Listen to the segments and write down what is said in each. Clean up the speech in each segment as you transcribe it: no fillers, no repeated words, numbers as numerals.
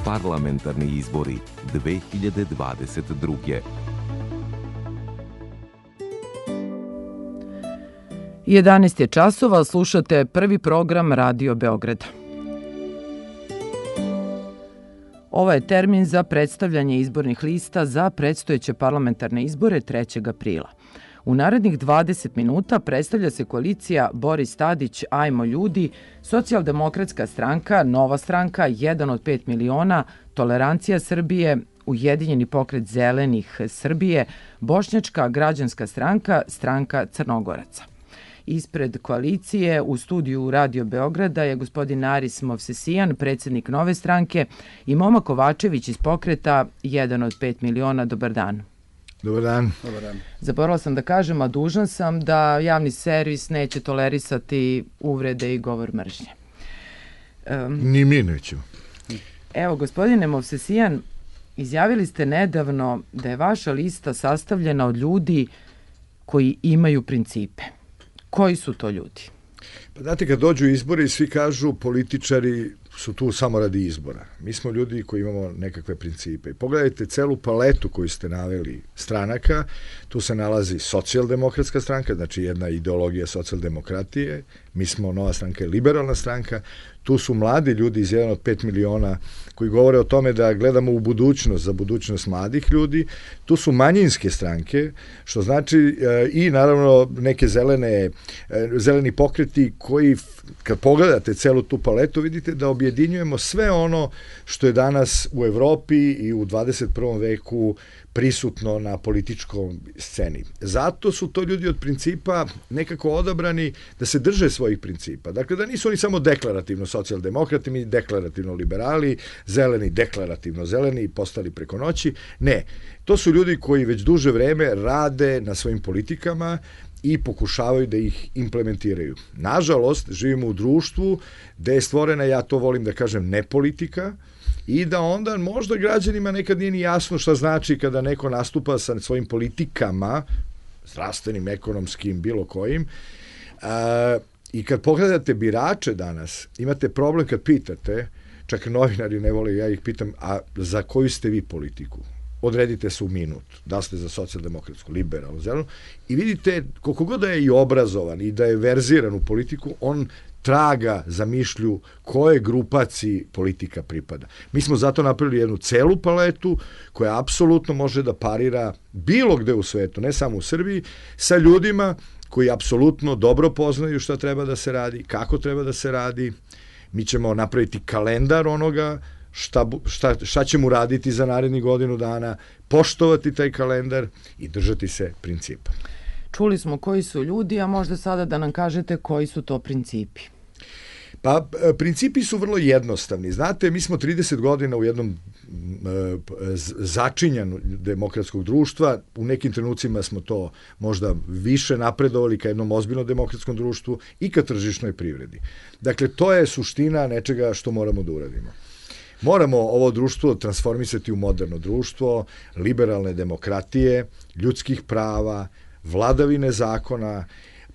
Parlamentarni izbori 2022. 11 je časova, slušate prvi program Radio Beograda. Ovo je termin za predstavljanje izbornih lista za predstojeće parlamentarne izbore 3. aprila. U narednih 20 minuta predstavlja se koalicija Boris Tadić, Ajmo ljudi, Socijaldemokratska stranka, Nova stranka, 1 od 5 miliona, Tolerancija Srbije, Ujedinjeni pokret zelenih Srbije, Bošnjačka građanska stranka, Stranka Crnogoraca. Ispred koalicije u studiju Radio Beograda je gospodin Aris Movsesijan, predsjednik Nove stranke, i Moma Kovačević iz pokreta 1 od 5 miliona. Dobar dan. Dobar dan. Zaboravila sam da kažem, a dužan sam da javni servis neće tolerisati uvrede i govor mržnje. Ni mi nećemo. Evo, gospodine Movsesijan, izjavili ste nedavno da je vaša lista sastavljena od ljudi koji imaju principe. Koji su to ljudi? Pa znate, kad dođu izbori, svi kažu političari su tu samo radi izbora. Mi smo ljudi koji imamo nekakve principe. I pogledajte celu paletu koju ste naveli stranaka. Tu se nalazi Socijaldemokratska stranka, znači jedna ideologija socijaldemokratije. Mi smo Nova stranka i liberalna stranka. Tu su mladi ljudi iz 1 od 5 miliona koji govore o tome da gledamo u budućnost, za budućnost mladih ljudi. Tu su manjinske stranke, što znači i naravno neke zeleni pokreti koji, kad pogledate celu tu paletu, vidite da objedinjujemo sve ono što je danas u Evropi i u 21. veku prisutno na političkom sceni. Zato su to ljudi od principa nekako odabrani da se drže svojih principa. Dakle, da nisu oni samo deklarativno socijaldemokrati, mi deklarativno liberali, zeleni deklarativno zeleni i postali preko noći. Ne, to su ljudi koji već duže vreme rade na svojim politikama i pokušavaju da ih implementiraju. Nažalost, živimo u društvu gde je stvorena, ja to volim da kažem, nepolitika, i da onda možda građanima nekad nije ni jasno šta znači kada neko nastupa sa svojim politikama, zdravstvenim, ekonomskim, bilo kojim. I kad pogledate birače danas, imate problem kad pitate, čak novinari ne vole, ja ih pitam, a za koju ste vi politiku? Odredite se u minut, da ste za socijaldemokratsku, liberalnu, zelenu, i vidite koliko god da je i obrazovan i da je verziran u politiku, on traga za mišlju koje grupaciji politika pripada. Mi smo zato napravili jednu celu paletu koja apsolutno može da parira bilo gde u svetu, ne samo u Srbiji, sa ljudima koji apsolutno dobro poznaju šta treba da se radi, kako treba da se radi. Mi ćemo napraviti kalendar onoga šta ćemo raditi za narednih godinu dana, poštovati taj kalendar i držati se principa. Čuli smo koji su ljudi, a možda sada da nam kažete koji su to principi. Pa, principi su vrlo jednostavni. Znate, mi smo 30 godina u jednom začinjanu demokratskog društva, u nekim trenucima smo to možda više napredovali ka jednom ozbiljnom demokratskom društvu i ka tržišnoj privredi. Dakle, to je suština nečega što moramo da uradimo. Moramo ovo društvo transformisati u moderno društvo, liberalne demokratije, ljudskih prava, vladavine zakona,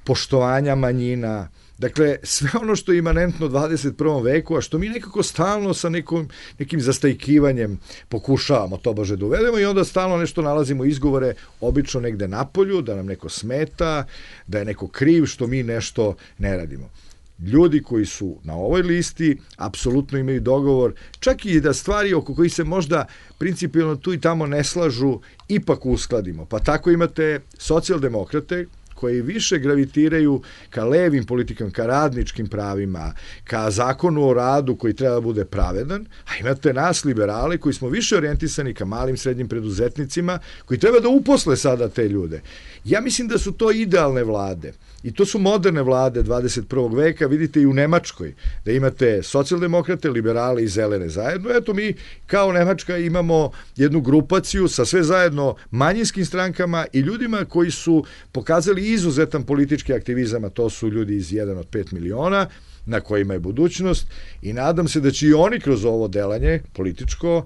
poštovanja manjina. Dakle, sve ono što je imanentno 21. veku, a što mi nekako stalno sa nekim zastajkivanjem pokušavamo to bože da uvedemo i onda stalno nešto nalazimo izgovore, obično negde napolju, da nam neko smeta, da je neko kriv što mi nešto ne radimo. Ljudi koji su na ovoj listi apsolutno imaju dogovor, čak i da stvari oko kojih se možda principijalno tu i tamo ne slažu, ipak uskladimo. Pa tako imate socijaldemokrate koji više gravitiraju ka levim politikama, ka radničkim pravima, ka zakonu o radu koji treba da bude pravedan, a imate nas liberale koji smo više orijentisani ka malim srednjim preduzetnicima koji treba da uposle sada te ljude. Ja mislim da su to idealne vlade i to su moderne vlade 21. veka, vidite i u Nemačkoj, da imate socijaldemokrate, liberale i zelene zajedno. Eto, mi kao Nemačka imamo jednu grupaciju sa sve zajedno manjinskim strankama i ljudima koji su pokazali izuzetan politički aktivizam, a to su ljudi iz 1 od 5 miliona, na kojima je budućnost, i nadam se da će i oni kroz ovo delanje političko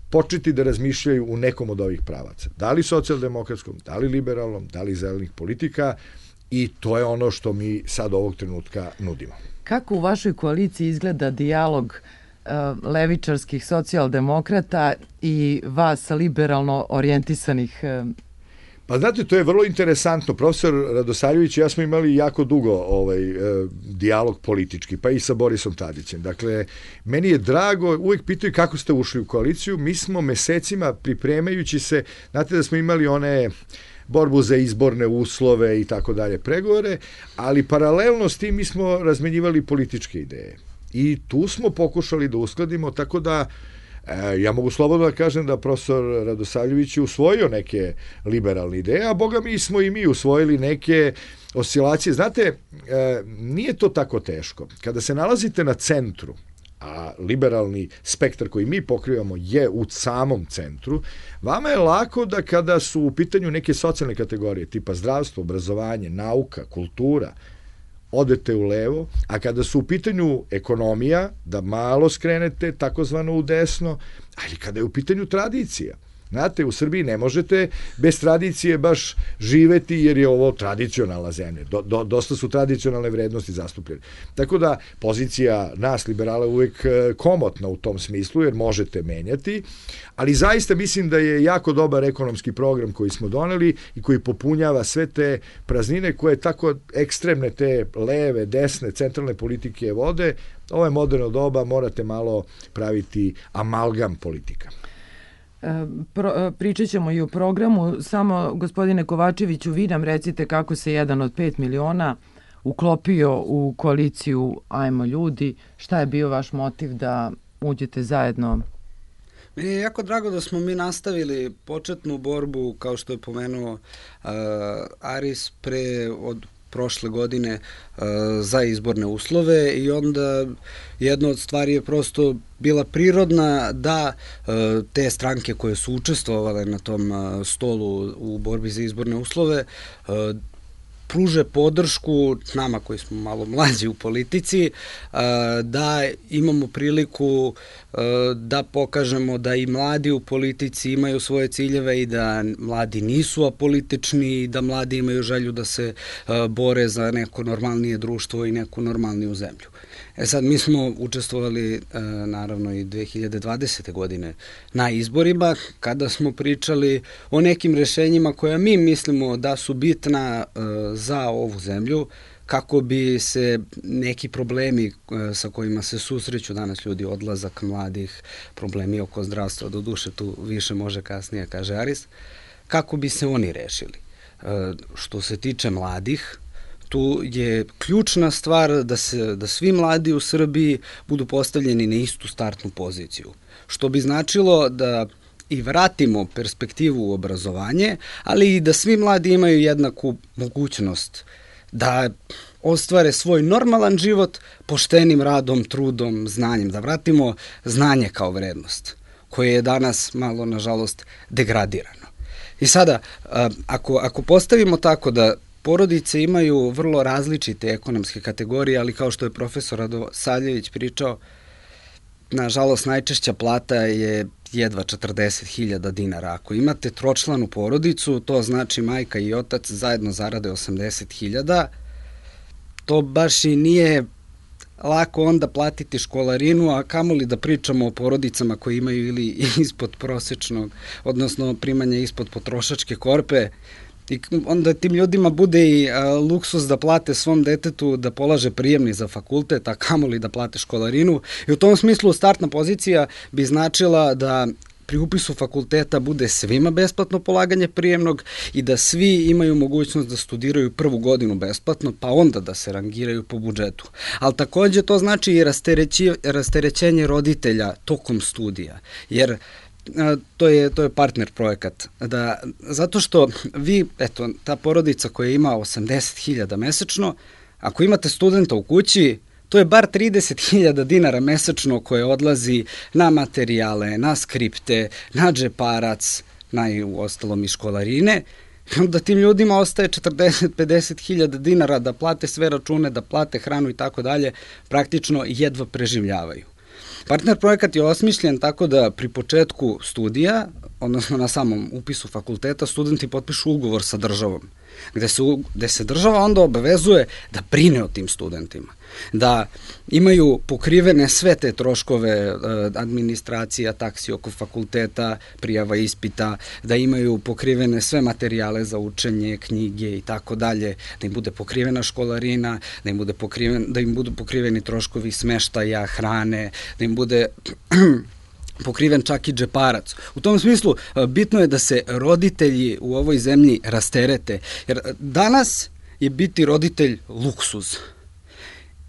početi da razmišljaju u nekom od ovih pravaca. Da li socijaldemokratskom, da li liberalnom, da li zelenih politika, i to je ono što mi sad ovog trenutka nudimo. Kako u vašoj koaliciji izgleda dijalog levičarskih socijaldemokrata i vas liberalno orijentisanih? Pa znate, to je vrlo interesantno. Profesor Radosavljević i ja smo imali jako dugo dijalog politički, pa i sa Borisom Tadićem. Dakle, meni je drago, uvijek pitaju kako ste ušli u koaliciju. Mi smo mesecima pripremajući se, znate da smo imali one borbu za izborne uslove i tako dalje, pregovore, ali paralelno s tim mi smo razmenjivali političke ideje. I tu smo pokušali da uskladimo, tako da ja mogu slobodno da kažem da profesor Radosavljević je usvojio neke liberalne ideje, a boga mi smo i mi usvojili neke oscilacije. Znate, nije to tako teško. Kada se nalazite na centru, a liberalni spektar koji mi pokrivamo je u samom centru, vama je lako da kada su u pitanju neke socijalne kategorije, tipa zdravstvo, obrazovanje, nauka, kultura, odete u levo, a kada su u pitanju ekonomija, da malo skrenete takozvano u desno, ali kada je u pitanju tradicija. Znate, u Srbiji ne možete bez tradicije baš živeti jer je ovo tradicionalna zemlja. Dosta su tradicionalne vrednosti zastupljene. Tako da pozicija nas liberala je uvijek komotna u tom smislu jer možete menjati, ali zaista mislim da je jako dobar ekonomski program koji smo doneli i koji popunjava sve te praznine koje tako ekstremne te leve, desne, centralne politike vode. Ovo je moderno doba, morate malo praviti amalgam politika. Pričat ćemo i o programu, samo gospodine Kovačeviću, vi nam recite kako se jedan od 5 miliona uklopio u koaliciju Ajmo ljudi, šta je bio vaš motiv da uđete zajedno? Meni je jako drago da smo mi nastavili početnu borbu, kao što je pomenuo Aris, od prošle godine za izborne uslove i onda jedna od stvari je prosto bila prirodna da te stranke koje su učestvovale na tom stolu u borbi za izborne uslove pruže podršku nama koji smo malo mlađi u politici, da imamo priliku da pokažemo da i mladi u politici imaju svoje ciljeve i da mladi nisu apolitični i da mladi imaju želju da se bore za neko normalnije društvo i neku normalniju zemlju. Sad, mi smo učestvovali naravno i 2020. godine na izborima kada smo pričali o nekim rešenjima koja mi mislimo da su bitna za ovu zemlju, kako bi se neki problemi sa kojima se susreću danas ljudi, odlazak mladih, problemi oko zdravstva, do duše tu više može kasnije, kaže Aris, kako bi se oni rešili. Što se tiče mladih, tu je ključna stvar da svi mladi u Srbiji budu postavljeni na istu startnu poziciju, što bi značilo da i vratimo perspektivu u obrazovanje, ali i da svi mladi imaju jednaku mogućnost da ostvare svoj normalan život poštenim radom, trudom, znanjem, da vratimo znanje kao vrednost, koje je danas malo, nažalost, degradirano. I sada, ako postavimo tako da porodice imaju vrlo različite ekonomske kategorije, ali kao što je profesor Radosavljević pričao, nažalost, najčešća plata je jedva 40.000 dinara. Ako imate tročlanu porodicu, to znači majka i otac zajedno zarade 80.000, to baš i nije lako onda platiti školarinu, a kamoli da pričamo o porodicama koji imaju ili ispod prosečnog, odnosno primanja ispod potrošačke korpe, i onda tim ljudima bude i luksus da plate svom detetu da polaže prijemni za fakultet, a kamoli da plate školarinu. I u tom smislu startna pozicija bi značila da pri upisu fakulteta bude svima besplatno polaganje prijemnog i da svi imaju mogućnost da studiraju prvu godinu besplatno, pa onda da se rangiraju po budžetu. Ali takođe to znači i rasterećenje roditelja tokom studija, jer to je partner projekat. Zato što vi, eto, ta porodica koja ima 80.000 mesečno, ako imate studenta u kući, to je bar 30.000 dinara mesečno koje odlazi na materijale, na skripte, na džeparac, u ostalom i školarine, da tim ljudima ostaje 40-50.000 dinara da plate sve račune, da plate hranu i tako dalje, praktično jedva preživljavaju. Partner projekat je osmišljen tako da pri početku studija odnosno na samom upisu fakulteta, studenti potpišu ugovor sa državom, gde se država onda obavezuje da brine o tim studentima, da imaju pokrivene sve te troškove administracija, taksi oko fakulteta, prijava ispita, da imaju pokrivene sve materijale za učenje, knjige i tako dalje, da im bude pokrivena školarina, da im budu pokriveni troškovi smeštaja, hrane, da im bude pokriven čak i džeparac. U tom smislu, bitno je da se roditelji u ovoj zemlji rasterete, jer danas je biti roditelj luksuz.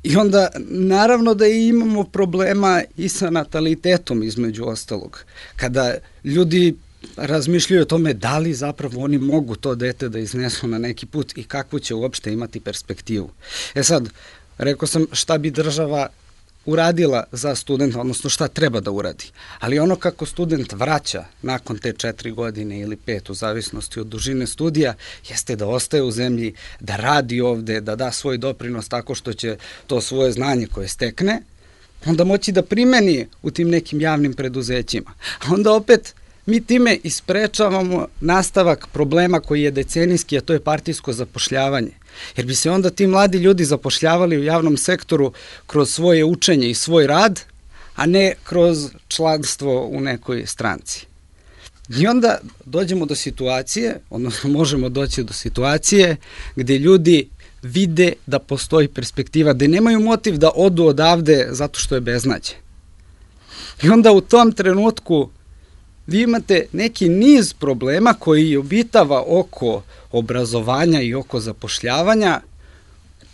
I onda, naravno da imamo problema i sa natalitetom, između ostalog. Kada ljudi razmišljaju o tome da li zapravo oni mogu to dete da iznesu na neki put i kakvu će uopšte imati perspektivu. Sad, rekao sam šta bi država uradila za studenta, odnosno šta treba da uradi. Ali ono kako student vraća nakon te 4 godine ili 5, u zavisnosti od dužine studija, jeste da ostaje u zemlji, da radi ovde, da da svoj doprinos tako što će to svoje znanje koje stekne, onda moći da primeni u tim nekim javnim preduzećima. A onda opet mi time isprečavamo nastavak problema koji je decenijski, a to je partijsko zapošljavanje. Jer bi se onda ti mladi ljudi zapošljavali u javnom sektoru kroz svoje učenje i svoj rad, a ne kroz članstvo u nekoj stranci. I onda dođemo do situacije, odnosno možemo doći do situacije gde ljudi vide da postoji perspektiva, da nemaju motiv da odu odavde zato što je beznađe. I onda u tom trenutku vi imate neki niz problema koji obitava oko obrazovanja i oko zapošljavanja,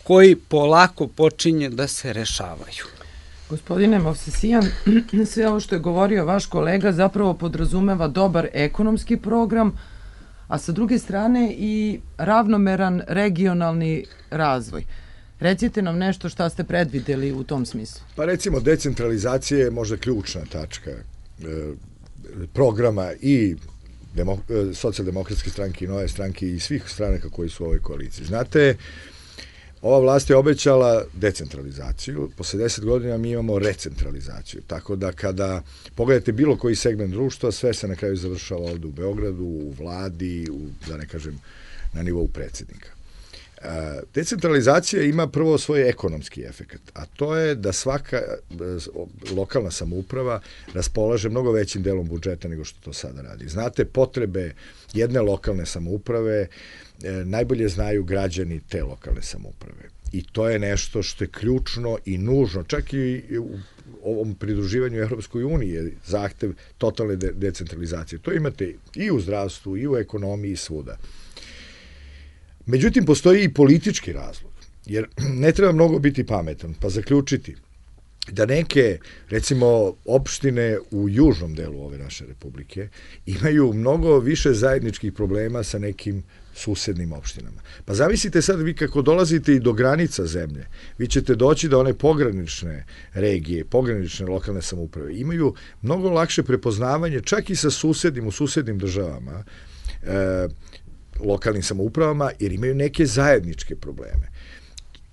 koji polako počinje da se rešavaju. Gospodine Movsesijan, sve ovo što je govorio vaš kolega zapravo podrazumeva dobar ekonomski program, a sa druge strane i ravnomeran regionalni razvoj. Recite nam nešto šta ste predvideli u tom smislu. Pa recimo, decentralizacija je možda ključna tačka programa i socijaldemokratske stranke i Nove stranke i svih stranaka koji su u ovoj koaliciji. Znate, ova vlast je obećala decentralizaciju, posle 10 godina mi imamo recentralizaciju, tako da kada pogledate bilo koji segment društva, sve se na kraju završava ovde u Beogradu, u vladi, da ne kažem, na nivou predsjednika. Decentralizacija ima prvo svoj ekonomski efekat, a to je da svaka lokalna samouprava raspolaže mnogo većim delom budžeta nego što to sada radi. Znate, potrebe jedne lokalne samouprave najbolje znaju građani te lokalne samouprave. I to je nešto što je ključno i nužno, čak i u ovom pridruživanju Evropskoj uniji je zahtev totalne decentralizacije. To imate i u zdravstvu, i u ekonomiji, i svuda. Međutim, postoji i politički razlog, jer ne treba mnogo biti pametan, pa zaključiti da neke, recimo, opštine u južnom delu ove naše republike imaju mnogo više zajedničkih problema sa nekim susednim opštinama. Pa zamislite sad vi kako dolazite i do granica zemlje, vi ćete doći da one pogranične regije, pogranične lokalne samouprave imaju mnogo lakše prepoznavanje čak i sa u susednim državama, lokalnim samoupravama, jer imaju neke zajedničke probleme.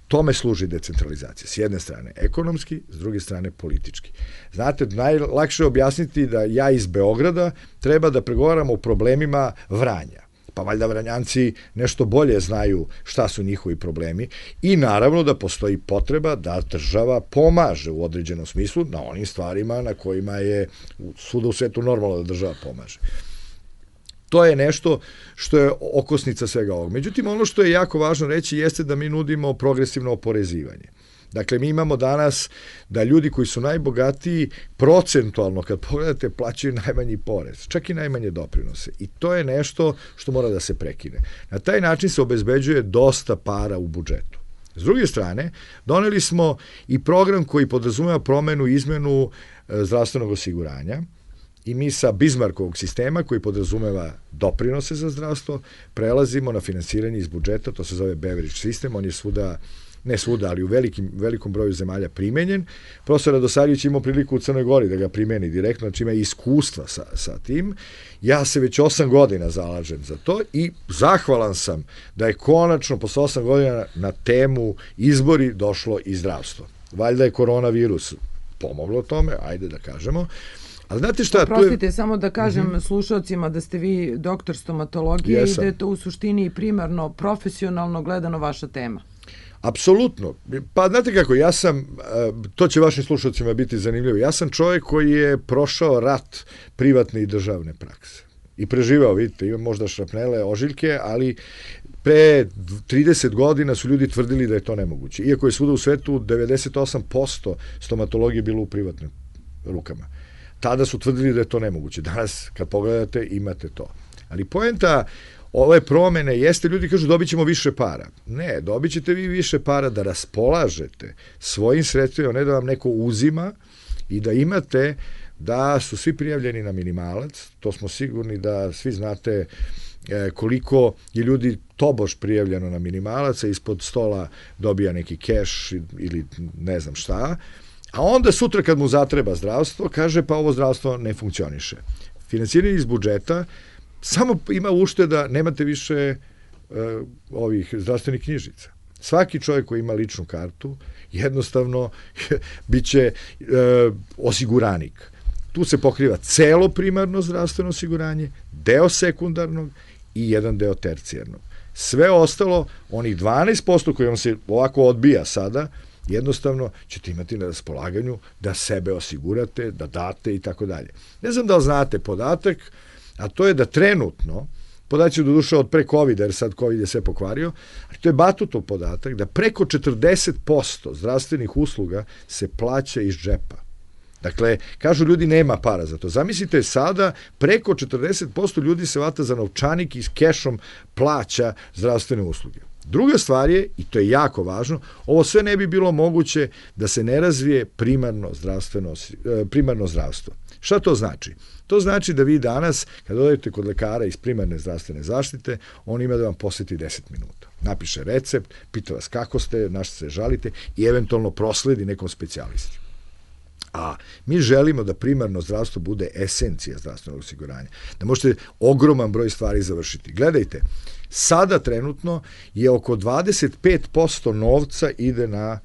Tome služi decentralizacija. S jedne strane ekonomski, s druge strane politički. Znate, najlakše je objasniti da ja iz Beograda treba da pregovaram o problemima Vranja. Pa valjda Vranjanci nešto bolje znaju šta su njihovi problemi i naravno da postoji potreba da država pomaže u određenom smislu na onim stvarima na kojima je svuda u svetu normalno da država pomaže. To je nešto što je okosnica svega ovog. Međutim, ono što je jako važno reći jeste da mi nudimo progresivno oporezivanje. Dakle, mi imamo danas da ljudi koji su najbogatiji procentualno, kad pogledate, plaćaju najmanji porez, čak i najmanje doprinose. I to je nešto što mora da se prekine. Na taj način se obezbeđuje dosta para u budžetu. S druge strane, doneli smo i program koji podrazumeva promenu i izmenu zdravstvenog osiguranja, i mi sa Bismarckovog sistema koji podrazumeva doprinose za zdravstvo prelazimo na finansiranje iz budžeta, to se zove Beveridge sistem, on je svuda, ne svuda, ali u velikom broju zemalja primenjen. Profesor Radosavljević imao priliku u Crnoj Gori da ga primeni direktno, znači ima iskustva sa tim. Ja se već 8 godina zalažem za to i zahvalan sam da je konačno posle 8 godina na temu izbori došlo i zdravstvo. Valjda je koronavirus pomoglo tome, ajde da kažemo, Ali znate šta? Prostite, samo da kažem slušalcima da ste vi doktor stomatologije i da je to u suštini primarno profesionalno gledano vaša tema. Apsolutno. Pa znate kako, ja sam, to će vašim slušalcima biti zanimljivo, ja sam čovjek koji je prošao rat privatne i državne prakse. I preživao, vidite, imam možda šrapnele, ožiljke, ali pre 30 godina su ljudi tvrdili da je to nemoguće. Iako je svuda u svetu 98% stomatologije bilo u privatnim rukama. Tada su tvrdili da je to nemoguće. Danas, kad pogledate, imate to. Ali poenta ove promene jeste, ljudi kažu dobit ćemo više para. Ne, dobit ćete vi više para da raspolažete svojim sredstvima, ne da vam neko uzima i da imate da su svi prijavljeni na minimalac. To smo sigurni da svi znate koliko je ljudi tobož prijavljeno na minimalac, a ispod stola dobija neki keš ili ne znam šta, a onda sutra kad mu zatreba zdravstvo, kaže pa ovo zdravstvo ne funkcioniše. Finansiranje iz budžeta samo ima ušteda, nemate više ovih zdravstvenih knjižica. Svaki čovjek koji ima ličnu kartu jednostavno biće osiguranik. Tu se pokriva celo primarno zdravstveno osiguranje, deo sekundarnog i jedan deo tercijarnog. Sve ostalo, onih 12% koji vam se ovako odbija sada, jednostavno ćete imati na raspolaganju da sebe osigurate, da date i tako dalje. Ne znam da li znate podatak, a to je da trenutno, podaci do duše od pre COVID-a, jer sad COVID je sve pokvario, ali to je batutov podatak, da preko 40% zdravstvenih usluga se plaća iz džepa. Dakle, kažu ljudi nema para za to. Zamislite sada, preko 40% ljudi se vata za novčanik i s kešom plaća zdravstvene usluge. Druga stvar je, i to je jako važno, ovo sve ne bi bilo moguće da se ne razvije primarno zdravstvo. Šta to znači? To znači da vi danas, kad odete kod lekara iz primarne zdravstvene zaštite, on ima da vam posjeti 10 minuta. Napiše recept, pita vas kako ste, na što se žalite i eventualno prosledi nekom specijalisti. A mi želimo da primarno zdravstvo bude esencija zdravstvenog osiguranja. Da možete ogroman broj stvari završiti. Gledajte, sada trenutno je oko 25% novca ide na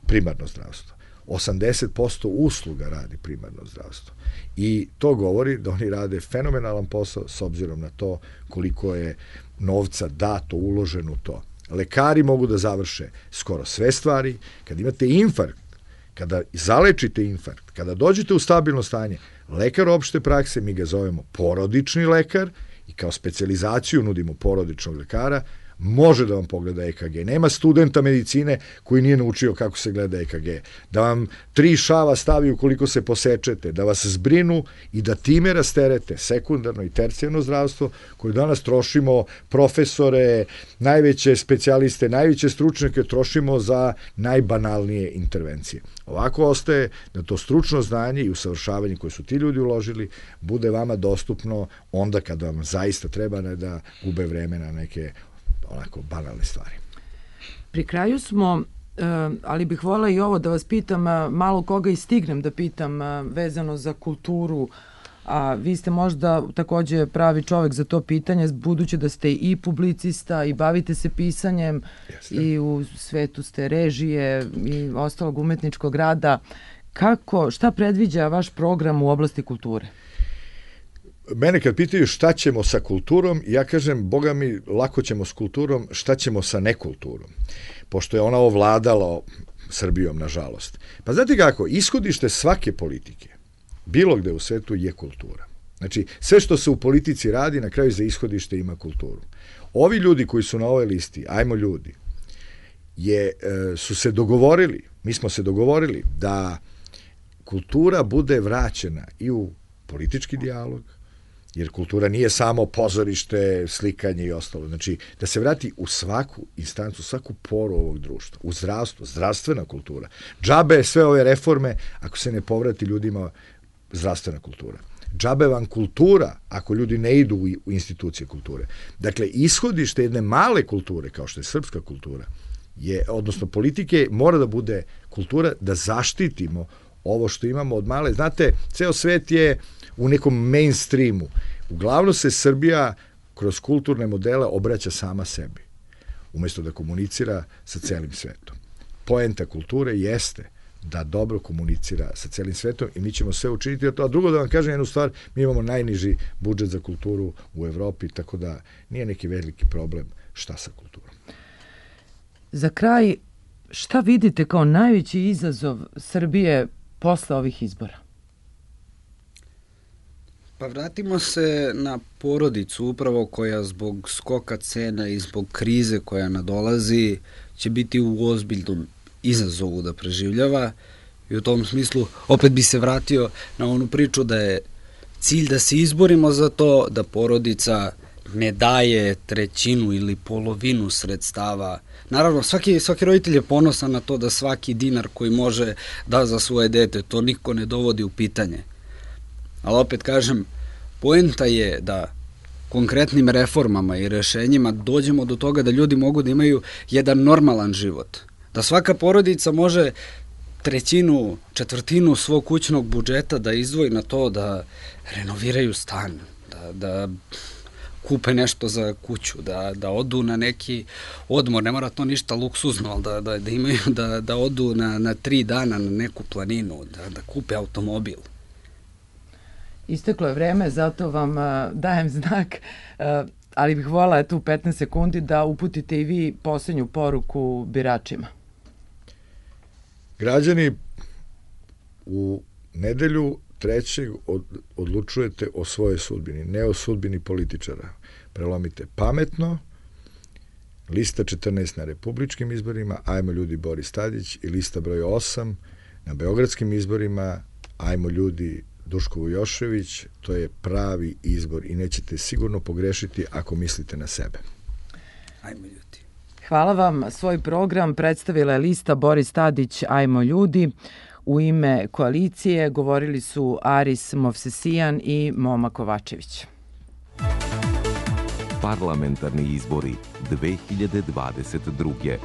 primarno zdravstvo. 80% usluga radi primarno zdravstvo. I to govori da oni rade fenomenalan posao s obzirom na to koliko je novca dato, uloženo u to. Lekari mogu da završe skoro sve stvari. Kad imate infarkt, kada zalečite infarkt, kada dođete u stabilno stanje, lekar opšte prakse, mi ga zovemo porodični lekar i kao specijalizaciju nudimo porodičnog lekara, može da vam pogleda EKG. Nema studenta medicine koji nije naučio kako se gleda EKG. Da vam 3 šava stavi ukoliko se posečete, da vas zbrinu i da time rasterete sekundarno i tercijarno zdravstvo koje danas trošimo profesore, najveće specijaliste, najveće stručnjake trošimo za najbanalnije intervencije. Ovako ostaje da to stručno znanje i usavršavanje koje su ti ljudi uložili bude vama dostupno onda kada vam zaista treba, ne da gube vreme na neke onako banalne stvari. Pri kraju smo, ali bih voljela i ovo da vas pitam, malo koga i stignem da pitam vezano za kulturu, a vi ste možda takođe pravi čovek za to pitanje, budući da ste i publicista i bavite se pisanjem. Jeste. I u svetu ste režije i ostalog umetničkog rada. Šta predviđa vaš program u oblasti kulture? Mene kad pitaju šta ćemo sa kulturom, ja kažem, boga mi, lako ćemo s kulturom, šta ćemo sa nekulturom, pošto je ona ovladala Srbijom, nažalost. Pa znate kako, ishodište svake politike, bilo gde u svetu, je kultura. Znači, sve što se u politici radi, na kraju za ishodište ima kulturu. Ovi ljudi koji su na ovoj listi, ajmo ljudi, su se dogovorili, mi smo se dogovorili da kultura bude vraćena i u politički dijalog, jer kultura nije samo pozorište, slikanje i ostalo. Znači, da se vrati u svaku instancu, svaku poru ovog društva, u zdravstvo, zdravstvena kultura. Džabe sve ove reforme ako se ne povrati ljudima zdravstvena kultura. Džabe vam kultura ako ljudi ne idu u institucije kulture. Dakle, ishodište jedne male kulture, kao što je srpska kultura, odnosno politike, mora da bude kultura da zaštitimo ovo što imamo od male. Znate, ceo svet je u nekom mainstreamu. Uglavnom se Srbija kroz kulturne modele obraća sama sebi, umjesto da komunicira sa celim svetom. Poenta kulture jeste da dobro komunicira sa celim svetom i mi ćemo sve učiniti. A drugo da vam kažem jednu stvar, mi imamo najniži budžet za kulturu u Evropi, tako da nije neki veliki problem šta sa kulturom. Za kraj, šta vidite kao najveći izazov Srbije posle ovih izbora? Pa vratimo se na porodicu upravo koja zbog skoka cena i zbog krize koja nadolazi će biti u ozbiljnom izazovu da preživljava i u tom smislu opet bi se vratio na onu priču da je cilj da se izborimo za to da porodica ne daje trećinu ili polovinu sredstava. Naravno, svaki roditelj je ponosan na to da svaki dinar koji može da za svoje dete, to niko ne dovodi u pitanje. Ali opet kažem, poenta je da konkretnim reformama i rešenjima dođemo do toga da ljudi mogu da imaju jedan normalan život. Da svaka porodica može trećinu, četvrtinu svog kućnog budžeta da izdvoji na to da renoviraju stan, da kupe nešto za kuću, da odu na neki odmor, ne mora to ništa luksuzno, ali da imaju, da odu na 3 dana na neku planinu, da kupe automobil. Isteklo je vreme, zato vam dajem znak, ali bih voljela tu 15 sekundi da uputite i vi poslednju poruku biračima. Građani, u nedelju 3. odlučujete o svojoj sudbini, ne o sudbini političara. Prelomite pametno, lista 14 na republičkim izborima, ajmo ljudi Boris Tadić, i lista broj 8 na beogradskim izborima, ajmo ljudi Duško Vujošević. To je pravi izbor i nećete sigurno pogrešiti ako mislite na sebe. Ajmo ljudi. Hvala vam. Svoj program predstavila je lista Boris Tadić, Ajmo ljudi. U ime koalicije govorili su Aris Movsesijan i Moma Kovačević. Parlamentarni izbori 2022.